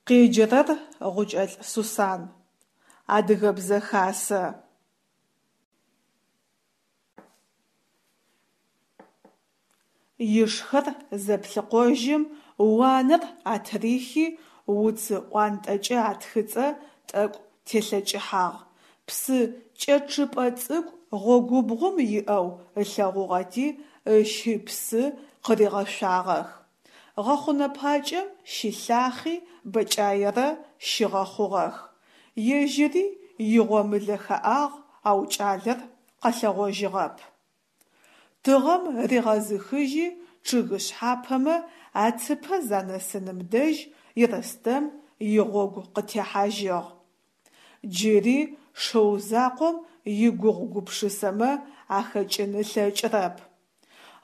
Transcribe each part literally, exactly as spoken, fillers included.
Къеджэрэр Гъукӏэлӏ Сусан. Адыгэбзэ хасэ. Ишхэр зэплъыкъожьым уанэр атырихи уцы ӏуантӏэкӏэ атхыцӏэ тӏэкӏу телъэкӏыхьагъ, псы кӏэчъыпӏэ цӏыкӏу гъогубгъум иӏэу ылъэгъугъэти ыщи псы къыригъэшъуагъэх. Гъэхъунэ пакӏэм щилъахъи бэкӏаерэ щигъэхъугъэх. Ежьыри игъомылэ хэӏагъ, ау кӏалэр къэлъэгъожьыгъэп. Тыгъэм ригъэзыхыжьи чъыг шъхьапэмэ ацыпэ занэсыным дэжь Ерстэм игъогу къытехьажьыгъ. Джыри шыу закъом игугъу-гупшысэмэ ахэкӏын ылъэкӏырэп.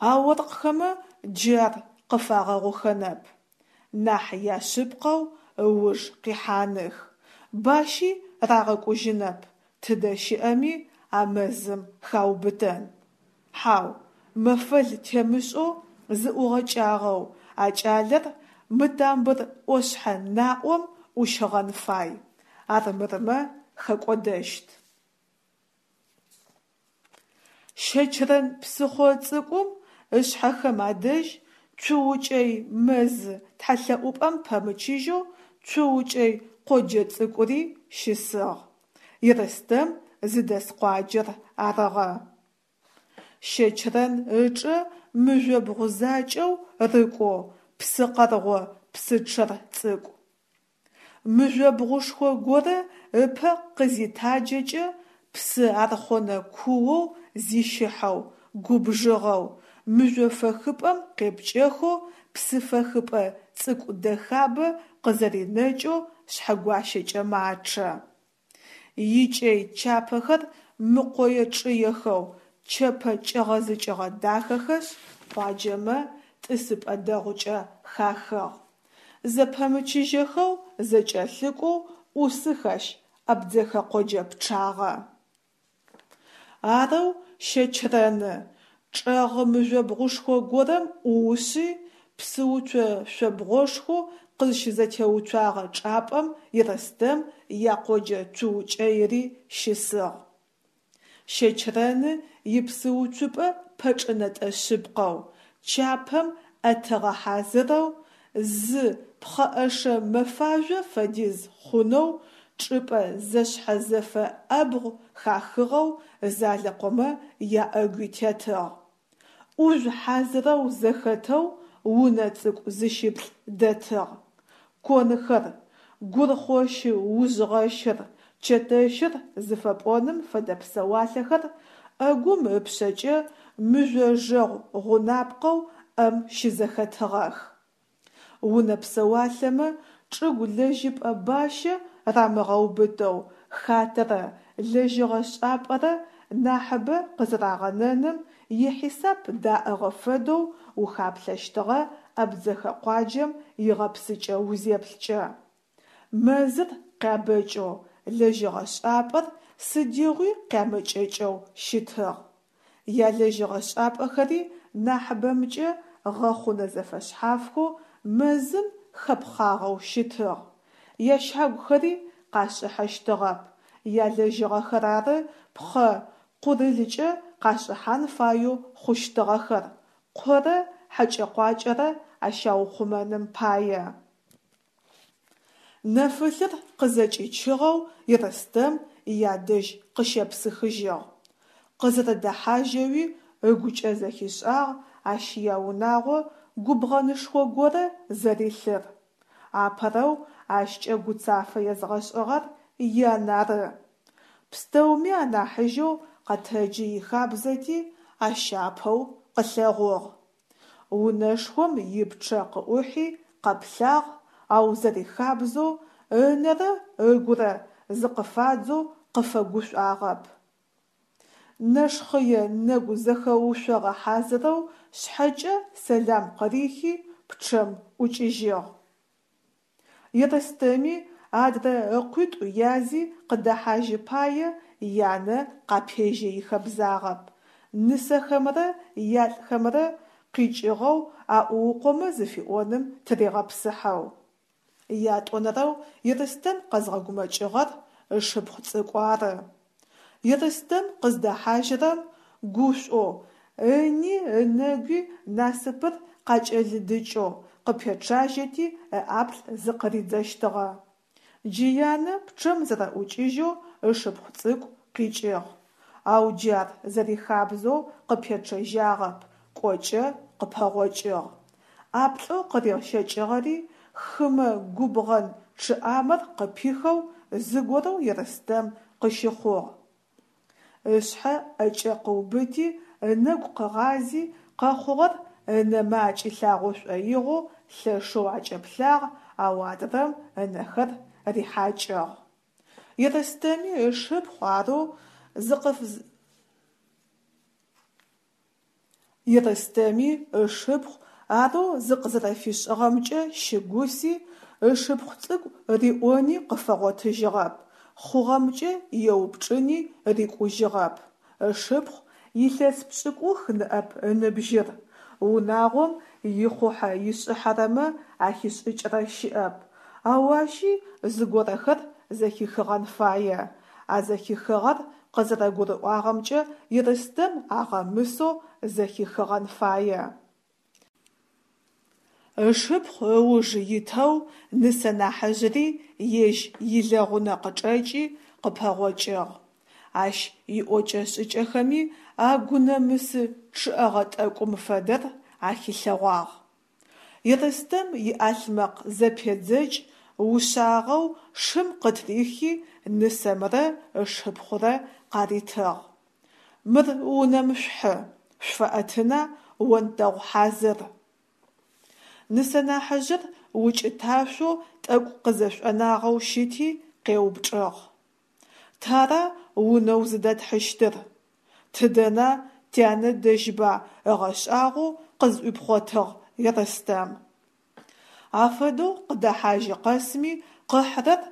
А оркъхэмэ джы ар къыфагъэгъухэнэп, нахь яшъыпкъэу ыуж къихьаных, бащи рагъэкӏужьынэп, тыдэ щыӏэми а мэзым хаубытэн. Хьау, мэфэл темышӏэу зыӏугъэкӏагъэу а кӏалэр мы тамбыр ӏошъхьэ наӏом ӏущыгъэн фай, армырмэ хэкӏодэщт. Щэчэрэн псыхъо цӏыкӏум ышъхьэхэм адэжь, Цуукӏэй мэз тхьэлъэӏупӏэм пэмычыжьэу Цуукӏэй къоджэ цӏыкӏури щысыгъ. Ерстэм зыдэс къуаджэр арыгъэ. Щэчэрэн ычӏэ мыжъобгъу закӏэу рыкӏоу псы къэргъо псы чъэр цӏыкӏу. Мыжъобгъушхо горэ ыпэ къызитаджэкӏэ, псы архъонэ куоу зищыхьэу, губжыгъэу, мыжъо фэхыпӏэм къепкӏэхэу псыфэхыпӏэ цӏыкӏу дэхабэ къызэринэкӏэу Шъхьэгуащэкӏэ мачъэ. Икӏэй чапэхэр мыкъое чӏыехэу, чэпэ кӏэгъэзыкӏыгъэ дахэхэшъ, къуаджэмэ тӏысыпӏэ дэгъукӏэ хахыгъ. Зэпэмычыжьэхэу зэкӏэлъыкӏоу ӏусых ащ абдзэхэ къоджэ пчъагъэ. Арэу Щэчэрэны чӏэгъы мыжъобгъушхо горэм ӏуушъи, псыуцо шъобгъошхоу къызщызэтеуцуагъэ чӏапӏэм Ерстэм якъоджэ Цуукӏэйри щысыгъ. Щэчэрэны ипсыуцупӏэ пэчӏынэтӏэ шъыпкъэу, чапэм ӏэтыгъэ хьазырэу, зы пхъэӏэшэ мэфажъо фэдиз хъунэу чӏыпӏэ зэшъхьэзэфэ ӏэбгъу хахыгъэу Залэкъомэ яӏэгуи тетыгъ. ӏужъу хьазырэу зэхэтэу унэ цӏыкӏу зыщыплӏ дэтыгъ. Конхэр, гурхъощы-ужъгъэщыр, чэтэщыр зыфэпӏоным фэдэ псэуалъэхэр ӏэгум ыпшъэкӏэ мыжъожэгъу гъунапкъэу ӏэм щызэхэтыгъэх. Унэ псэуалъэмэ чӏыгу лэжьыпӏэ бащэ рамыгъэубытэу хатэрэ лэжьыгъэ шӏапӏэрэ нахьыбэ къызэрагъэнэным ихьисап даӏыгъы фэдэу ухаплъэщтыгъэ абдзэхэ къуаджэм игъэпсыкӏэ узеплъыкӏэ. Мэзыр къябэкӏэу, лэжьыгъэ шӏапӏэр сыдигъуи къямэкӏэкӏэу щытыгъ. Ялэжьыгъэ шӏапӏэхэри нахьыбэмкӏэ гъэхъунэ зэфэшъхьафхэу мэзым хэпхъагъэу щытыгъ. Ящагухэри къашӏыхьэщтыгъэп, ялэжьыгъэхэр ары пхъэ къурылыкӏэ къашӏыхьан фаеу хъущтыгъэхэр, къорэ хьэкӏэ-къуакӏэрэ ащаухъумэным пае. Нэфылъыр къызэкӏичыгъэу Ерстэм ядэжь къыщепсыхыжьыгъ. Къызэрэдэхьажьэуи ыгукӏэ зэхишӏагъ ащ яунагъо губгъэнышхо горэ зэрилъыр. Апэрэу ащкӏэ гуцафэ езгъэшӏыгъэр ян ары. Пстэуми анахьыжьэу къэтэджы ихабзэти, ащ апэу къылъэгъугъ. Унэшхом ипчъэ къыӏухьи къэплъагъ, ау зэрихабзэу ынэрэ ыгурэ зыкъыфадзэу къыфэгушӏуагъэп. Нэшхъэе нэгу зэхэушъогъэ хьазырэу шъхьэкӏэ сэлам къырихи пчъэм ӏукӏыжьыгъ. Ерстэми адрэ ыкъуитӏу язи къыдэхьажьы пае янэ къапежьэ ихэбзагъэп, нысэхэмрэ ялӏхэмрэ къикӏыгъэу аӏуукъомэ зыфиӏоным тыригъэпсыхьэу. Ятӏонэрэу Ерстэм къэзгъэгумэкӏыгъэр ышыпхъу цӏыкӏу ары. Ерстэм къыздэхьажьырэм гушӏоу, ыни ынэгуи насыпыр къакӏэлыдыкӏэу къыпечъажьэти ыӏаплӏ зыкъыридзэщтыгъэ. Джы янэ пчъэм зэрэӏукӏыжьэу ышыпхъу цӏыкӏу къикӏыгъ, ау джы ар зэрихабзэу къыпечъэжьагъэп, кӏокӏэ къыпэгъокӏыгъ. Ӏаплӏэу къырищэкӏыгъэри хымэ губгъэн чъыӏамэр къыпихэу зыгорэу Ерстэм къыщыхъугъ. Ышъхьэ ӏэкӏэ къыубыти, ынэгу къыгъази, къэхъугъэр ынэмэ акӏилъагъо шӏоигъоу лъэшэу акӏэплъагъ, ау адрэм ынэхэр рихьакӏыгъ. Ерстэми ышыпхъу арэу Ерстэми ышыпхъу арэу зыкъызэрэфишӏыгъэмкӏэ щыгуси, ышыпхъу цӏыкӏу риӏони къыфэгъотыжьыгъэп, хъугъэмкӏэ еупчӏыни рикӏужьыгъэп. Ышыпхъу илъэс пшӏыкӏух ныӏэп ыныбжьыр, унагъом ихъухьэ-ишӏыхьэрэмэ ахишӏыкӏрэ щыӏэп, ау ащи зыгорэхэр зэхихыгъэн фае, а зэхихыгъэр къызэрэгурыӏуагъэмкӏэ Ерстэм агъэмысэу зэхихыгъэн фае. Ышыпхъу ыуж итэу нысэ нахьыжъыри ежь илэгъунэ къычӏэкӏи къыпэгъокӏыгъ. Ащ иӏокӏэ-шӏыкӏэхэми а гунэмысы чъыӏэгъэ тӏэкӏум фэдэр ахилъэгъуагъ. Ерстэм иӏалъмэкъ зэпедзэкӏ ушъагъэу шым къытырихи нысэмрэ ышыпхъурэ къаритыгъ: «Мыр унэм шъухьы, шъуфэӏэтына онтэгъу хьазыр». Нысэ нахьыжъыр укӏыташъоу тӏэкӏу къызэшӏонагъэу щыти къеупчӏыгъ: «Тара унэу зыдэтхьыщтыр? Тыдэна, тянэ дэжьба?» ыгъэшӏагъоу къызӏуипхъотыгъ Ерстэм. Афэдэу къыдэхьажьы къэсми къыхьырэр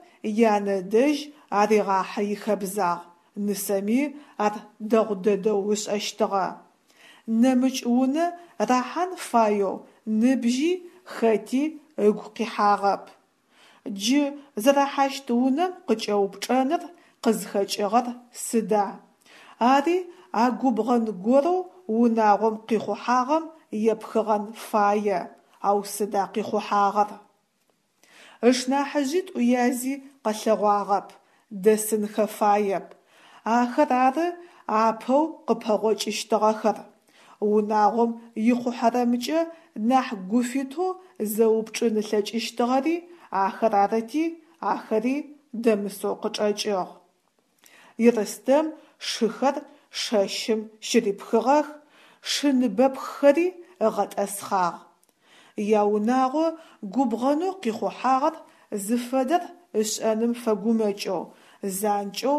янэ дэжь аригъахьы ихэбзагъ, нысэми ар дэгъу дэдэу ышӏэщтыгъэ. Нэмыкӏ унэ рахьан фаеу ныбжьи хэти ыгу къихьагъэп. Джы зэрахьащт унэм къыкӏэупчӏэныр къызхэкӏыгъэр сыда? Ари а губгъэн горэу унагъом къихъухьагъэм епхыгъэн фае, ау сыда къихъухьагъэр? Ышнахьыжъитӏу язи къэлъэгъуагъэп, дэсынхэ фаеп. Ахэр ары апэу къыпэгъокӏыщтыгъэхэр. Унагъом ихъухьэрэмкӏэ нахь гуфитэу зэупчӏын ылъэкӏыщтыгъэри ахэр арыти, ахэри дэмысэу къычӏэкӏыгъ. Ерстэм шыхэр шэщым щырипхыгъэх, шы ныбэпххэри ыгъэтӏэсхъагъ. Яунагъо губгъэнэу къихъухьагъэр зыфэдэр ышӏэным фэгумэкӏэу, занкӏэу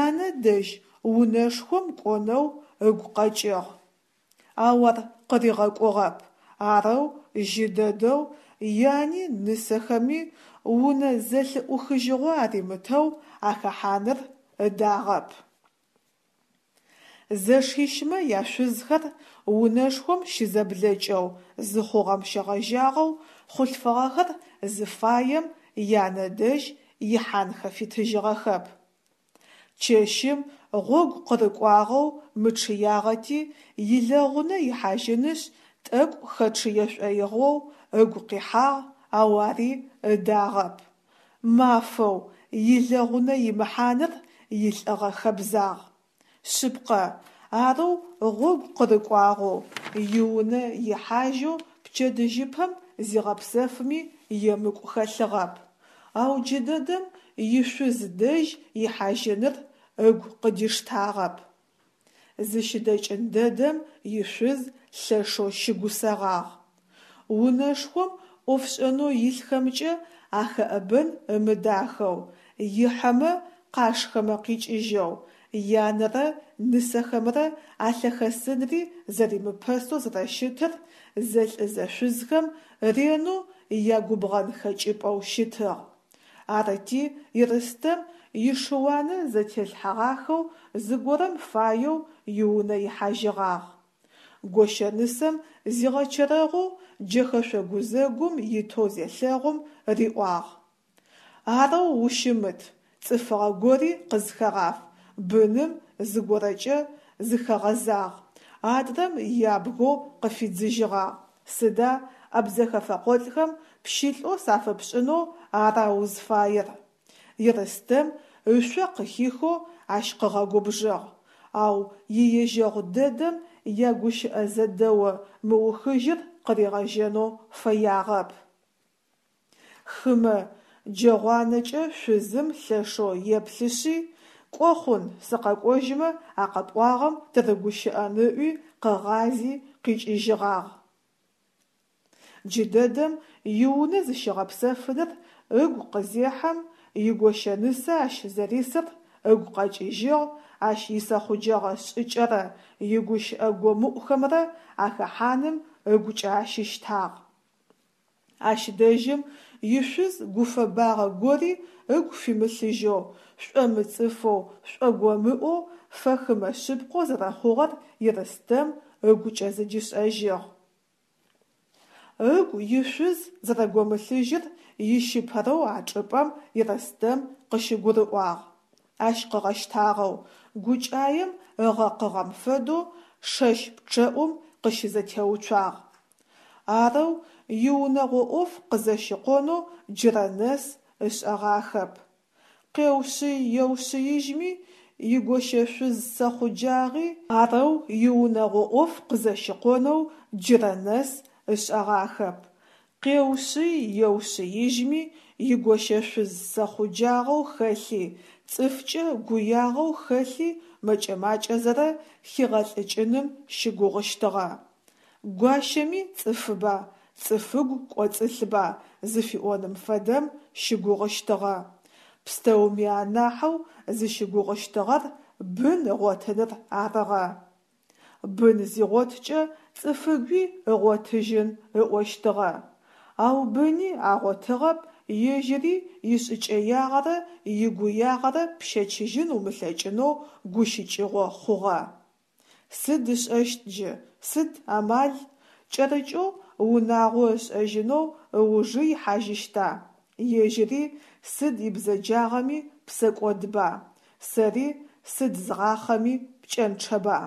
янэ дэжь унэшхом кӏонэу ыгу къэкӏыгъ. Ау ар къыригъэкӏугъэп, арэу жьы дэдэу яни нысэхэми унэ зэлъыӏухыжьыгъо аримытэу ахэхьаныр ыдагъэп. Зэшищмэ яшъузхэр унэшхом щызэблэкӏэу зыхъугъэм щегъэжьагъэу хъулъфыгъэхэр зыфаем янэ дэжь ихьанхэ фитыжьыгъэхэп. Чэщым гъогу къырыкӏуагъэу мычъыягъэти, илэгъунэ ихьажьынышъ тӏэкӏу хэчъые шӏоигъоу ыгу къихьагъ, ау ари ыдагъэп. Мафэу, илэгъунэ имыхьаныр илӏыгъэ хэбзагъ. Шъыпкъэ, арэу гъогу къырыкӏуагъэу, иунэ ихьажьэу пчэдыжьыпэм зигъэпсэфми емыкӏу хэлъыгъэп, ау джыдэдэм ишъуз дэжь ихьажьыныр ыгу къыдиштагъэп. Зыщыдэкӏын дэдэм ишъуз лъэшэу щыгусэгъагъ. Унэшхом ӏофшӏэнэу илъхэмкӏэ ахэӏэбэн ымыдахэу, ихьэмэ къашхэмэ къикӏыжьэу, янэрэ нысэхэмрэ алъэхэсынри зэримыпэсэу зэрэщытыр зэлӏ-зэшъузхэм ренэу ягубгъэн хэкӏыпӏэу щытыгъ. Арыти Ерстэм ишыуанэ зэтелъхьэгъахэу зыгорэм фаеу иунэ ихьажьыгъагъ. Гощэнысэм зигъэчэрэгъоу джэхэшъо гузэгум итэу зелъэгъум, риӏуагъ: «Арэу ущымыт, цӏыфыгъэ гори къызхэгъаф, быным зыгорэкӏэ зыхэгъэзагъ», адрэм ябгэу къыфидзыжьыгъагъ: «Сыда, абдзэхэ фэкъолӏхэм пщылӏэу сафэпшӏынэу ара узфаер?» Ерстэм ышъо къыхихэу ащ къыгъэгубжыгъ, ау иежьэгъу дэдэм ягущыӏэ зэдэо мыухыжьыр къыригъэжьэнэу фэягъэп. Хымэ джэгъуанэкӏэ шъузым лъэшэу еплъышъи, «Кӏо хъун, сыкъэкӏожьмэ а къэпӏуагъэм тырыгущыӏэн» ыӏуи къыгъази къикӏыжьыгъагъ. Джыдэдэм иунэ зыщигъэпсэфыныр ыгу къызехьэм, игощэнысэ ащ зэрисыр ыгу къэкӏыжьыгъ, ащ исэхъуджэгъэ шӏыкӏэрэ игущыӏэ гомыӏухэмрэ ахэхьаным ыгукӏэ ащыщтагъ. Ащ дэжьым ишъуз гуфэбагъэ гори ыгу фимылъыжьэу, шӏомыцӏыфэу, шӏогомыӏоу, фэхымэ шъыпкъэу зэрэхъугъэр Ерстэм ыгукӏэ зыдишӏэжьыгъ. Ыгу ишъуз зэрэгомылъыжьыр ищыпэрэу а чӏыпӏэм Ерстэм къыщыгурыӏуагъ. Ащ къыгъэщтагъэу, гукӏаем ыгъэкъыгъэм фэдэу шэщ пчъэӏум къыщызэтеуцуагъ. Арэу иунэгъо ӏоф къызэщыкъонэу джырэ нэс ышӏэгъахэп. Къеушъый-еушъыижьми игощэшъуз сэхъуджагъи арэу иунэгъо ӏоф къызэщыкъонэу джырэ нэс ышӏэгъахэп. Къеушъый-еушъыижьми игощэшъуз сэхъуджагъэу хэлъи, цӏыфкӏэ гуягъэу хэлъи мэкӏэ-макӏэзэрэ хигъэлӏыкӏыным щыгугъыщтыгъэ. Гуащэми цӏыфыба, цӏыфыгу кӏоцӏылъба зыфиӏоным фэдэм щыгугъыщтыгъэ. Пстэуми анахьэу зыщыгугъыщтыгъэр бын ыгъотыныр арыгъэ. Бын зигъоткӏэ цӏыфыгуи ыгъотыжьын ыӏощтыгъэ. Ау быни агъотыгъэп, ежьыри ишӏыкӏэягъэрэ игуягъэрэ пщэчыжьын умылъэкӏынэу гущыкӏыгъо хъугъэ. Сыд ышӏэщт джы, сыд амал? Кӏэрыкӏэу унагъо ышӏэжьынэу ыужы ихьажьыщта? Ежьыри сыд ибзэджагъэми псэкӏодба, сэри сыд згъахъэми пкӏэнчъэба?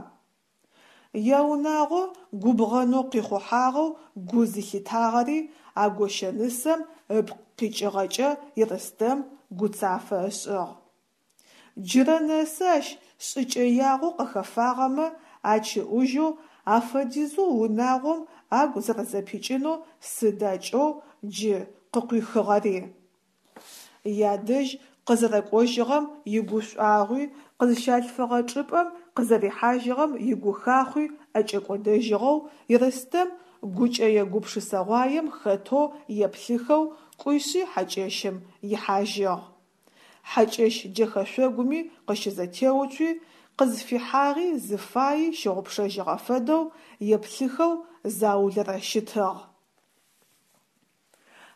Яунагъо губгъэнэу къихъухьагъэу гу зылъитагъэри а гощэнысэм ыпкъ къикӏыгъэкӏэ Ерстэм гуцафэ ышӏыгъ. Джырэ нэсы ащ шӏыкӏэягъэу къыхэфагъэмэ ачыӏужьэу афэдизэу унагъом агу зэрэзэпикӏынэу сыда кӏэу джы къыкъуихыгъэри? Ядэжь къызэрэкӏожьыгъэм игушӏуагъуи, къызщалъфыгъэ чӏыпӏэм къызэрихьажьыгъэм игухахъуи ӏэкӏэкӏодэжьыгъэу Ерстэм гукӏэе гупшысэгъуаем хэтэу еплъыхэу кӏуишъи хьакӏэщым ихьажьыгъ. Хьакӏэщ джэхэшъогуми къыщызэтеуцуи, къызфихьагъи зыфайи щыгъупшэжьыгъэ фэдэу еплъыхэу заулэрэ щытыгъ.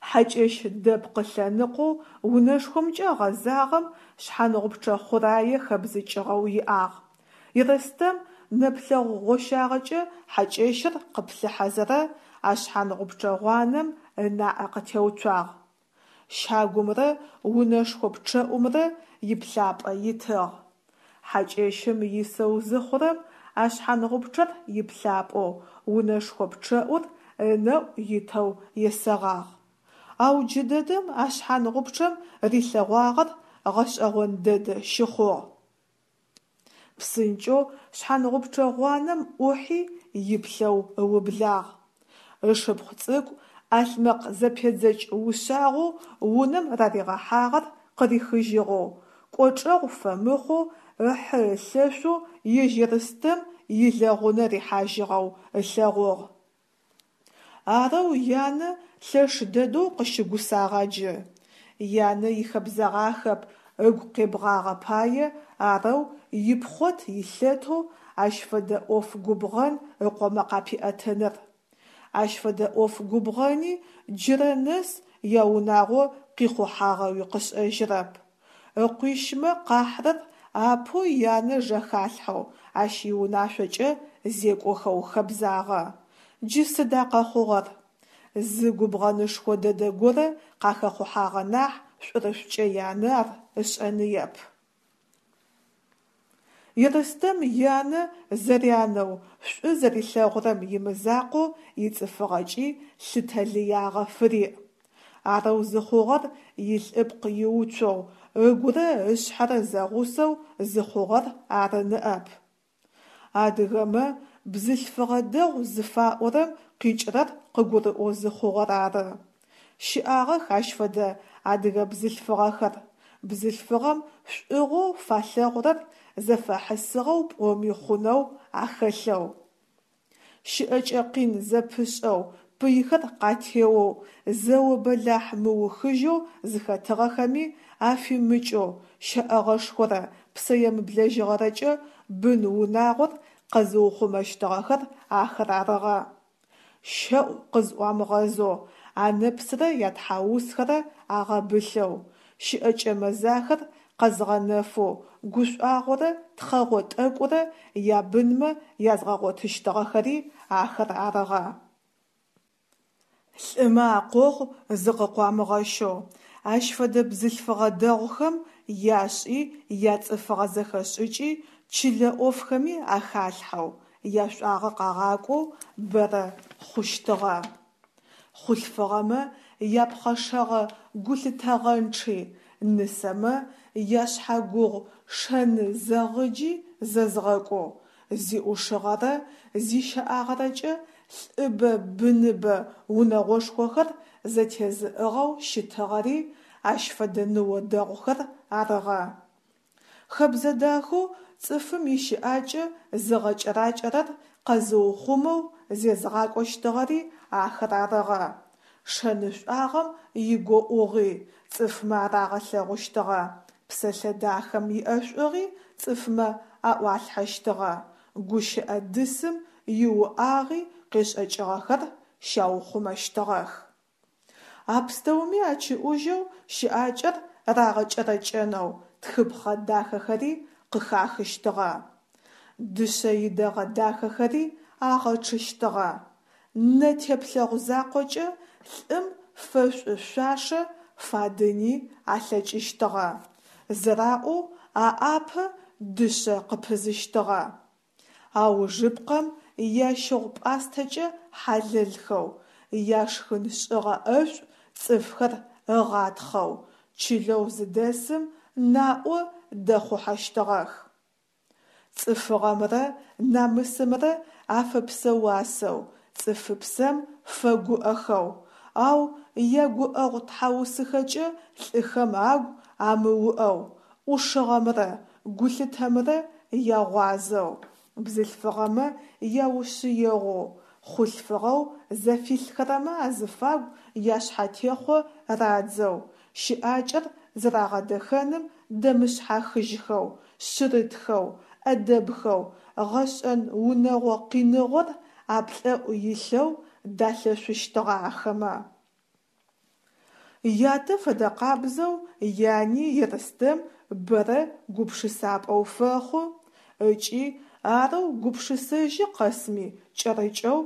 Хьакӏэщ дэпкъы лъэныкъоу унэшхомкӏэ гъэзагъэм шъхьангъупчъэ хъурае хэбзыкӏыгъэу иӏагъ. Ерстэм нэплъэгъу гъощагъэкӏэ хьакӏэщыр къыплъыхьэзэрэ а шъхьангъупчъэ гъуанэм ынаӏэ къытеуцуагъ. Щагумрэ унэшхо пчъэӏумрэ иплъапӏэ итыгъ. Хьакӏэщым исэу зыхъурэм а шъхьангъупчъэр иплъапӏэу, унэшхо пчъэӏур ынэӏу итэу есэгъагъ. Ау джыдэдэм а шъхьангъупчъэм рилъэгъуагъэр гъэшӏэгъон дэдэ щыхъугъ. Псынкӏэу шъхьангъупчъэ гъуанэм ӏухьи иплъэу ыублагъ. Ышыпхъу цӏыкӏу ӏалъмэкъ зэпедзэкӏ ушъагъэу унэм раригъэхьагъэр къырихыжьыгъэу, кӏочӏэгъу фэмыхъоу ыхьы-ылъэшъоу ежь Ерстэм илэгъунэ рихьажьыгъэу ылъэгъугъ. Арэу янэ лъэш дэдэу къыщыгусагъа джы? Янэ ихэбзэгъахэп ыгу къебгъагъэ пае арэу ипхъот-илъэтэу ащ фэдэ ӏоф губгъэн ыкъомэ къапиӏэтыныр. Ащ фэдэ ӏоф губгъэни джырэ нэс яунагъо къихъухьагъэуи къышӏэжьырэп. Ыкъуищмэ къахьрэр апэу янэ жэхалъхьэу, ащ иунашъокӏэ зекӏохэу хэбзагъэ. Джы сыда къэхъугъэр? Зы губгъэнышхо дэдэ горэ къахэхъухьагъэ нахь шӏурышӏукӏэ янэ ар ышӏэныеп. Ерстэм янэ зэрянэу, шӏу зэрилъэгъурэм имызакъоу ицӏыфыгъэкӏи лъытэ лыягъэ фыриӏ. Арэу зыхъугъэр илӏыпкъ иуцоу, ыгурэ ышъхьэрэ зэгъусэу зыхъугъэр ары ныӏэп. Адыгэмэ «бзылъфыгъэ дэгъу» зыфаӏорэм къикӏырэр къыгурыӏоу зыхъугъэр ары. Щыӏагъэх ащ фэдэ адыгэ бзылъфыгъэхэр, бзылъфыгъэм шӏугъэу фалъэгъурэр зэфэхьысыгъэу пӏоми хъунэу ахэлъэу. Щыӏэкӏэ къин зэпышӏэу, пыйхэр къатеоу, зэо бэлахь мыухыжьэу зыхэтыгъэхэми афимыкӏэу, щэӏэгъэшхорэ псэемыблэжьыгъэрэкӏэ бын-унагъор къэзыухъумэщтыгъэхэр ахэр арыгъэ. Щэӏу къызӏуамыгъэзэу, анэпсрэ ятхьаусхэрэ агъэбылъэу, щыӏэкӏэ мэзахэр къэзгъэнэфэу, гушӏуагъорэ тхъэгъо тӏэкӏурэ ябынмэ язгъэгъотыщтыгъэхэри ахэр арыгъэ. Лӏымэ акъогъу зыкъыкъуамыгъэщэу, ащ фэдэ бзылъфыгъэ дэгъухэм яшӏи, яцӏыфыгъэ зэхэшӏыкӏи чылэ ӏофхэми ахалъхьэу, яшӏуагъэ къагъакӏоу бэрэ хъущтыгъэ. Хъулъфыгъэмэ япхъэшэгъэ гулъытэгъэнчъи, нысэмэ яшъхьагугъу шэны зэгъыджи зэзгъэкӏоу, зиӏушыгъэрэ зищэӏагъэрэкӏэ лӏыбэ-быныбэ унэгъошхохэр зэтезыӏыгъэу щытыгъэри ащ фэдэ ныо дэгъухэр арыгъэ. Хэбзэ дахэу цӏыфым ищыӏакӏэ зыгъэкӏэракӏэрэр къэзыухъумэу зезгъакӏощтыгъэри ахэр арыгъэ. Шэнышӏуагъэм игоӏугъи цӏыфмэ арагъэлъэгъущтыгъэ, псэлъэ дахэм иӏэшӏугъи цӏыфмэ аӏуалъхьэщтыгъэ, гущыӏэ дысым иуӏагъи къешӏэкӏыгъэхэр щаухъумэщтыгъэх. А пстэуми ачыӏужьэу щыӏакӏэр рагъэкӏэрэкӏэнэу тхыпхъэ дахэхэри къыхахыщтыгъэ, дышъэ идэгъэ дахэхэри агъэчъыщтыгъэ, нэ теплъэгъу закъокӏэ лӏым фэшӏу шъуашэ фадыни алъэкӏыщтыгъэ, зэраӏоу аӏапэ дышъэ къыпызыщтыгъэ. Аужыпкъэм, ящыгъу-пӏастэкӏэ хьалэлхэу, яшхын шӏыгъэ ӏэшӏу цӏыфхэр ыгъатхъэу чылэу зыдэсым наӏо дэхъухьэщтыгъэх. Цӏыфыгъэмрэ намысымрэ афэпсэуасэу, цӏыфыпсэм фэгуӏэхэу, ау ягуӏэгъу тхьаусыхэкӏэ лӏыхэм агу амыуӏэу, ӏушыгъэмрэ гулъытэмрэ ягъуазэу, бзылъфыгъэмэ яушъыегъоу, хъулъфыгъэу зэфилъхэрэмэ азыфагу яшъхьатехъо радзэу, щыӏакӏэр зэрагъэдэхэным дэмышъхьахыжьхэу, шъырытхэу, ӏэдэбхэу, гъэшӏэн унэгъо къиныгъор аплӏэӏу илъэу далъэшъущтыгъэ ахэмэ. Ятэ фэдэкъабзэу яни Ерстэм бэрэ гупшысапӏэу фэхъу ыкӏи арэу гупшысэжьы къэсми кӏэрыкӏэу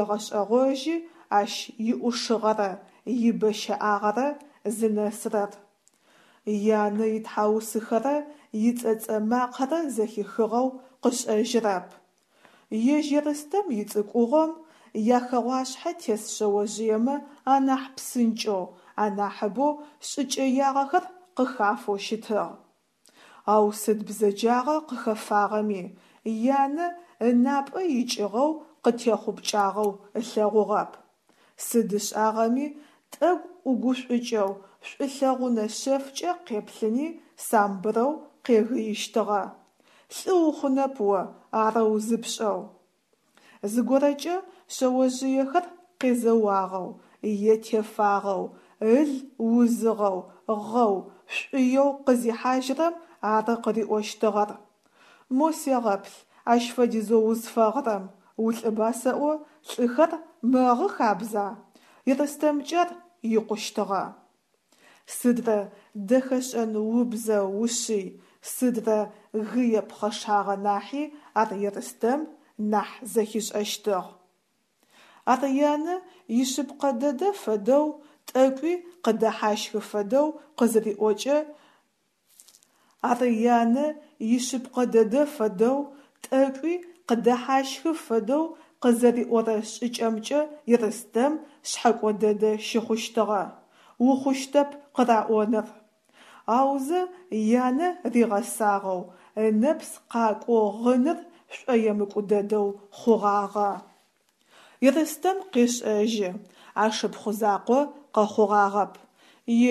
егъэшӏэгъожьы ащ иӏушыгъэрэ ибэ щэӏагъэрэ зынэсырэр. Янэ итхьаусыхэрэ ицӏэцӏэ макъэрэ зэхихыгъэу къышӏэжьырэп. Ежь Ерстэм ицӏыкӏугъом яхэгъуашъхьэ тес шъэожъыемэ анахь псынкӏэу, анахьыбэу шӏыкӏэягъэхэр къыхафэу щытыгъ. Ау сыд бзэджагъэ къыхэфагъэми, янэ ынапӏэ икӏыгъэу къытехъупкӏагъэу ылъэгъугъэп. Сыд ышӏагъэми тӏэкӏу ӏугушӏукӏэу, шӏулъэгъунэ шъэфкӏэ къеплъыни самбырэу къегыищтыгъэ: «Лӏы ухъунэп о арэу зыпшӏэу». Зыгорэкӏэ шъэожъыехэр къезэуагъэу е тефагъэу, ыл узыгъэу, гъэу, шӏуеу къызихьажьырэм ары къыриӏощтыгъэр: «Мо сегъэплъ ащ фэдизэу узфэгъырэм, улӏыба сэӏо, лӏыхэр мэгъы хабза?» Ерстэмкӏэ ар икъущтыгъэ. Сыдрэ дэхэшӏэн убзэ-ушъый, сыдрэ гые пхъэшагъэ нахьи ар Ерстэм нахь зэхишӏэщтыгъ. Ар янэ ишъыпкъэ дэдэ фэдэу, тӏэкӏуи къыдэхьащхы фэдэу къызыриӏокӏэ Ар янэ ишъыпкъэ дэдэ фэдэу, тӏэкӏуи къыдэхьащхы фэдэу къызэриӏорэ шӏыкӏэмкӏэ Ерстэм шъхьэкӏо дэдэ щыхъущтыгъэ, ухъущтэп къыраӏоныр. Аузэ янэ ригъэсагъэу, ынэпс къакӏоу гъыныр шӏоемыкӏу дэдэу хъугъагъэ. Ерстэм къешӏэжьы, ашыпхъу закъо къэхъугъагъэп,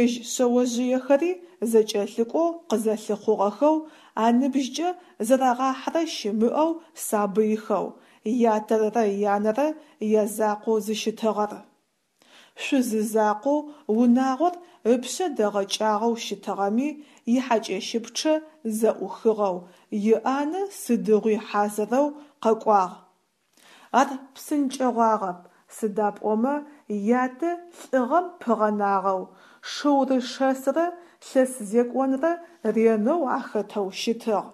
ежь шъэожъыехэри зэкӏэлъыкӏоу къызэлъыхъугъэхэу, аныбжькӏэ зэрагъахьэрэ щымыӏэу сабыйхэу, ятэрэ янэрэ язакъоу зыщытыгъэр. Шъузы закъоу унагъор ыпшъэ дэгъэкӏагъэу щытыгъэми, ихьакӏэщыпчъэ зэӏухыгъэу, иӏанэ сыдигъуи хьазырэу къэкӏуагъ. Ар псынкӏэгъуагъэп, сыда пӏомэ ятэ лӏыгъэм пыгъэнагъэу, шыурэ шэсрэ лъэс зекӏонрэ ренэу ахэтэу щытыгъ,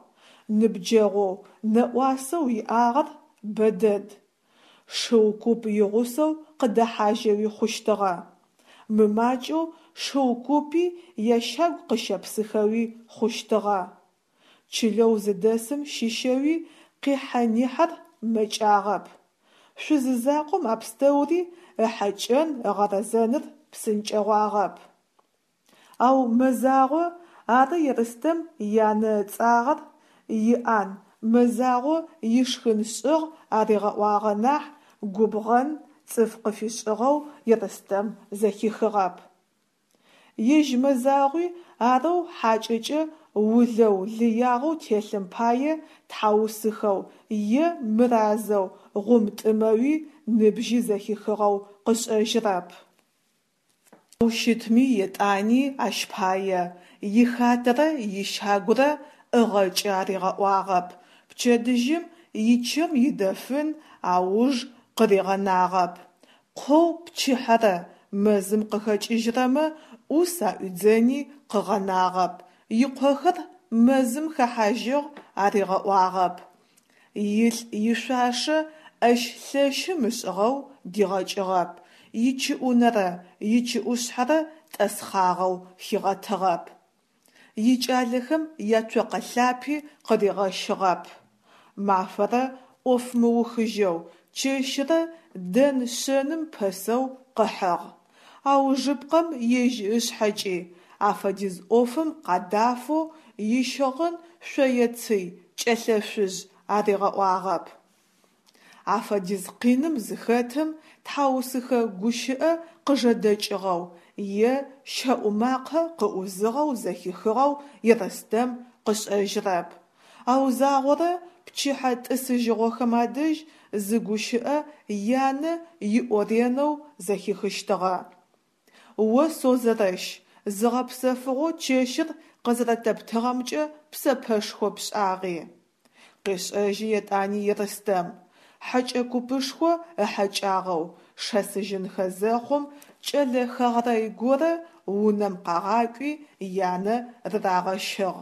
ныбджэгъоу, нэӏуасэу иӏагъэр бэ дэд. Шыу куп игъусэу къыдэхьажьэуи хъущтыгъэ, мымакӏэу шыу купи ящагу къыщэпсыхэуи хъущтыгъэ. Чылэу зыдэсым щыщэуи къихьэ-нихьэр мэкӏагъэп. Шъузы закъом а пстэури ыхьэкӏэн, ыгъэрэзэныр псынкӏэгъуагъэп. Ау Мэзагъо, ары Ерстэм янэ ыцӏагъэр, иӏан, Мэзагъо ишхын шӏыгъ аригъэӏуагъэ нахь, губгъэн цӏыф къыфишӏыгъэу Ерстэм зэхихыгъэп. Ежь Мэзагъуи арэу хьакӏэкӏэ улэу лыягъэу телъым пае тхьаусыхэу е мыразэу гъумтӏымэуи ныбжьи зэхихыгъэу къышӏэжьырэп. Ау щытми етӏани ащ пае ихатэрэ ищагурэ ӏыгъэкӏы аригъэӏуагъэп, пчэдыжьым ичэм идэфын ауж къыригъэнагъэп, къоу пчыхьэрэ мэзым къыхэкӏыжьрэмэ ӏус аӏуидзэни къыгъэнагъэп, икъохэр мэзым хэхьажьыгъ аригъэӏуагъэп, илӏ ишъуашэ ӏэщ лъэщым ышӏыгъэу дигъэкӏыгъэп, ичыӏунэрэ ичыӏушъхьэрэ тӏэсхъагъэу хигъэтыгъэп, икӏалэхэм яцокъэ лъапи къыригъэщыгъэп. Мафэрэ ӏоф мыухыжьэу, чэщырэ дэн-шъэным пэсэу къыхьыгъ. Аужыпкъэм ежь ышъхьэкӏи афэдиз ӏофым къадафэу ищыгъын шъое-цый кӏэлъэшъужъ аригъэӏуагъэп. Афэдиз къиным зыхэтым тхьаусыхэ гущыӏэ къыжэдэкӏыгъэу е щэӏу макъэ къыӏузыгъэу зэхихыгъэу Ерстэм къышӏэжьырэп. Ау загъорэ пчыхьэ тӏысыжьыгъохэм адэжь зы гущыӏэ янэ иӏоренэу зэхихыщтыгъэ: «О Созэрэщ, зыгъэпсэфыгъо чэщыр къызэрэтэптыгъэмкӏэ псэпэшхо пшӏагъи». Къешӏэжьы етӏани Ерстэм, хьэкӏэ купышхо ыхьэкӏагъэу шэсыжьынхэ зэхъум кӏэлэ хэгърэй горэ унэм къагъакӏуи янэ рырагъэщыгъ.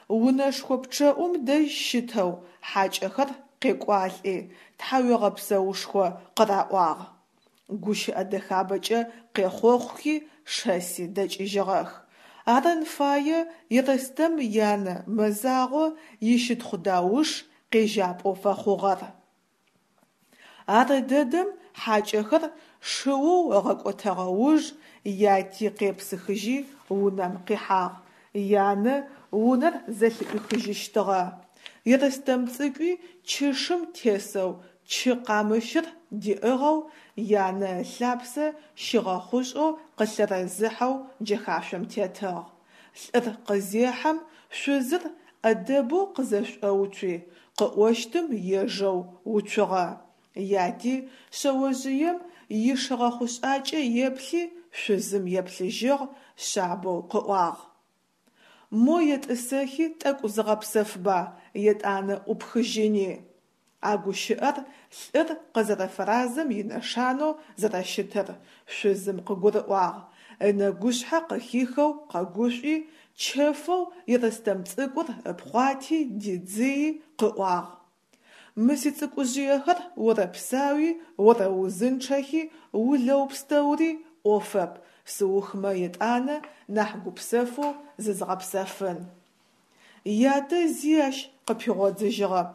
Унэшхо пчъэӏум дэжь щытэу хьакӏэхэр къекӏуалӏи тхьауегъэпсэушхо къыраӏуагъ. Гущыӏэ дэхабэкӏэ къехъохъухи шэси дэкӏыжьыгъэх. Арын фае Ерстэм янэ Мэзагъо ищытхъу-дауш къежьапӏэу фэхъугъэр. Ар дэдэм хьакӏэхэр шыоу ыгъэкӏотэгъэ уж яти къепсыхыжьи унэм къихьагъ, янэ унэр зэлъыӏуихыжьыщтыгъэ. Ерстэм цӏыкӏуи чышым тесэу чы къамыщыр диӏыгъэу, янэ ылъапсэ щигъэхъушӏэу къылъэрэзыхьэу джэхашъом тетыгъ. Лӏыр къызехьэм шъузыр ӏэдэбэу къызэшӏоуцуи, къыӏощтым ежэу уцугъэ. Яти шъэожъыем ишыгъэхъушӏакӏэ еплъи, шъузым еплъыжьыгъ, шъабэу къыӏуагъ: «Мо етӏысэхи тӏэкӏу зыгъэпсэфба, етӏанэ ӏупхыжьыни». А гущыӏэр лӏыр къызэрэфэразэм инэшанэу зэрэщытыр шъузым къыгурыӏуагъ, ынэгушъхьэ къыхихэу къэгушӏуи, чэфэу Ерстэм цӏыкӏур ыпхъуати дидзыйи къыӏуагъ: Мы сицӏыкӏужъыехэр орэпсауи орэузынчъэхи, улэу пстэури ӏофэп, сыухмэ етӏанэ нахь гупсэфэу зызгъэпсэфын. Ятэ зи ащ къыпигъодзыжьыгъэп,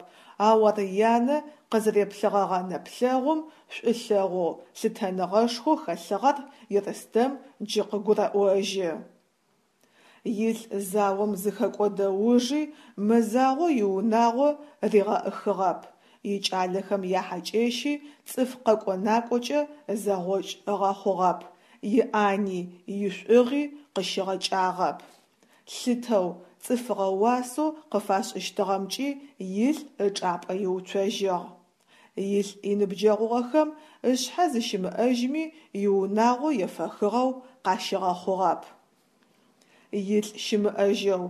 ау ар янэ къызэреплъыгъэгъэ нэплъэгъум шӏулъэгъоу, лъытэныгъэшхоу хэлъыгъэр Ерстэм джы къыгурэӏожьы. Илӏ заом зыхэкӏодэ ужи Мэзагъо иунагъо ригъэӏыхыгъэп, икӏалэхэм яхьакӏэщи цӏыф къэкӏо-накӏокӏэ зэгъокӏ ыгъэхъугъэп, иӏани, ишӏугъи къыщигъэкӏагъэп. Лъытэу, цӏыфыгъэ уасэу къыфашӏыщтыгъэмкӏи илӏ ычӏапӏэ иуцожьыгъ. Илӏ иныбджэгъугъэхэм ышъхьэ зыщымыӏэжьми иунагъо ефэхыгъэу къащигъэхъугъэп. Илӏ щымыӏэжьэу,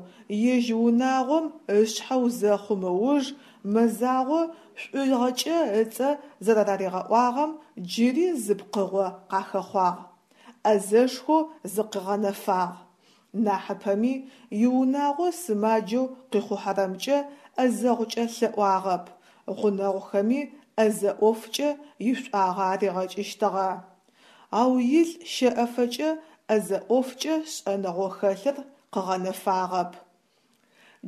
ежь унагъом ышъхьэу зэхъум ыуж Мэзагъо шӏугъэкӏэ ыцӏэ зэраригъэӏуагъэм джыри зы пкъыгъо къахэхъуагъ: ӏэзэшхоу зыкъыгъэнэфагъ. Нахьыпэми иунагъо сымаджэу къихъухьэрэмкӏэ ӏэзэгъукӏэ лъэӏуагъэп, гъунэгъухэми ӏэзэ ӏофкӏэ ишӏуагъэ аригъэкӏыщтыгъэ. Ау илӏ щэӏэфэкӏэ ӏэзэ ӏофкӏэ шӏэныгъэу хэлъыр къыгъэнэфагъэп.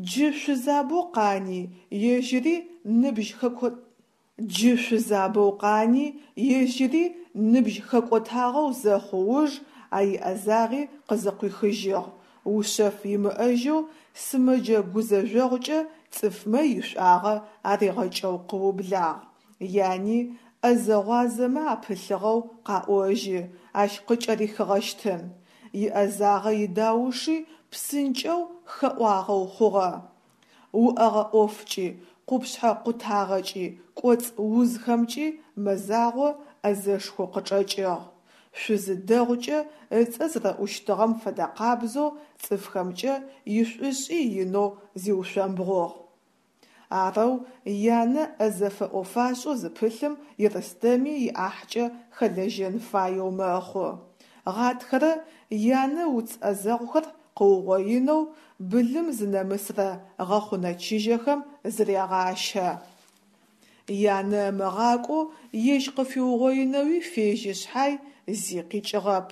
Джы шъузабэу къани, ежьыри ныбжь хэко Джы шъузабэу къани, ежьыри ныбжь хэкӏотагъэу зэхъу уж а иӏэзагъи къызыкъуихыжьыгъ, ушъэф имыӏэжьэу сымэджэ гузэжъогъукӏэ цӏыфмэ ишӏуагъэ аригъэкӏэу къыублагъ. Яни ӏэзэ-гъуазэмэ апылъыгъэу къаӏожьы, ащ къыкӏэрихыгъэщтын. Иӏэзагъэ идауши псынкӏэу хэӏуагъэу хъугъэ. Уӏэгъэ ӏофкӏи, къупшъхьэ къутагъэкӏи, кӏоцӏ узхэмкӏи Мэзагъо ӏэзэшхоу къычӏэкӏыгъ. Шъузы дэгъукӏэ ыцӏэ зэрэӏущтыгъэм фэдэкъабзэу цӏыфхэмкӏэ ишӏушӏи инэу зиушъомбгъугъ. Арэу янэ ӏэзэ фэӏо-фашӏэу зыпылъым Ерстэми иӏахькӏэ хэлэжьэн фаеу мэхъу. Гъатхэрэ янэ уц ӏэзэгъухэр къыугъоинэу былым зынэмысрэ гъэхъунэ чыжьэхэм зырегъащэ. Янэ ымыгъакӏоу ежь къыфиугъоинэуи фежьи шъхьай, зи къикӏыгъэп.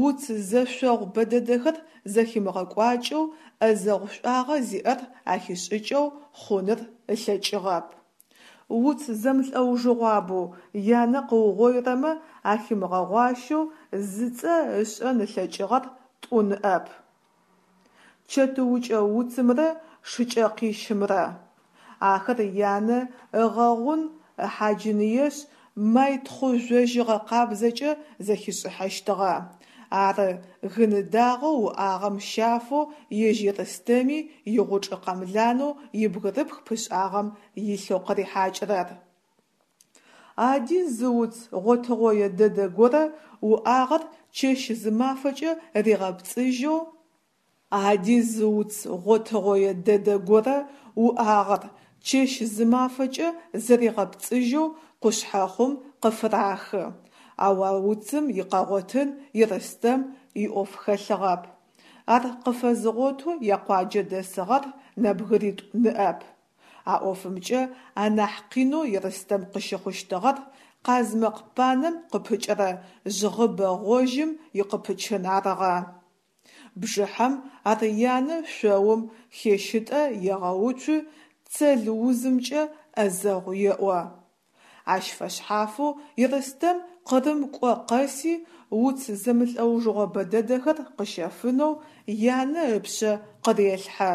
Уц зэшъогъу бэдэдэхэр зэхимыгъэкӏуакӏэу ӏэзэгъу шӏуагъэ зиӏэр ахишӏыкӏэу хъуныр ылъэкӏыгъэп. Уц зэмлӏэужыгъуабэу янэ къыугъоирэмэ ахимыгъэгъуащэу зыцӏэ ышӏэн ылъэкӏыгъэр тӏу ныӏэп: чэтыукӏэ уцымрэ шыкӏэкъищымрэ. Ахэр янэ ыгъэгъун ыхьаджыныешъ, май-тхъу жъожьыгъэ къабзэкӏэ зэхишӏыхьэщтыгъэ. Ары гын дагъэу уӏагъэм щафэу ежь Ерстэми игъучӏ къэмланэу ибгырыпх пышӏагъэм илъэу къырихьакӏырэр. Ади зы уц гъотыгъое дэдэ горэ уӏагъэр чэщ-зымафэкӏэ ригъэпцӏыжьэу Ади зы уц гъотыгъое дэдэ горэ уӏагъэр чэщ-зымафэкӏэ зэригъэпцӏыжьэу къушъхьэхъум къыфырахы, ау а уцым икъэгъотын Ерстэм иӏоф хэлъыгъэп. Ар къыфэзыгъотэу якъуаджэ дэсыгъэр нэбгыритӏу ныӏэп. А ӏофымкӏэ анахь къинэу Ерстэм къыщыхъущтыгъэр къазмэкъ панэм къыпыкӏырэ жъгъыбэ гъожьым икъыпычын арыгъэ. Бжыхьэм ар янэ шъоум хещытӏэ егъэуцу цэл узымкӏэ ӏэзэгъу еӏо. Ащ фэшъхьафэу Ерстэм Къырым кӏо къэси уц зэмлӏэужыгъо бэдэдэхэр къыщэфынэу янэ ыпшъэ къырелъхьэ.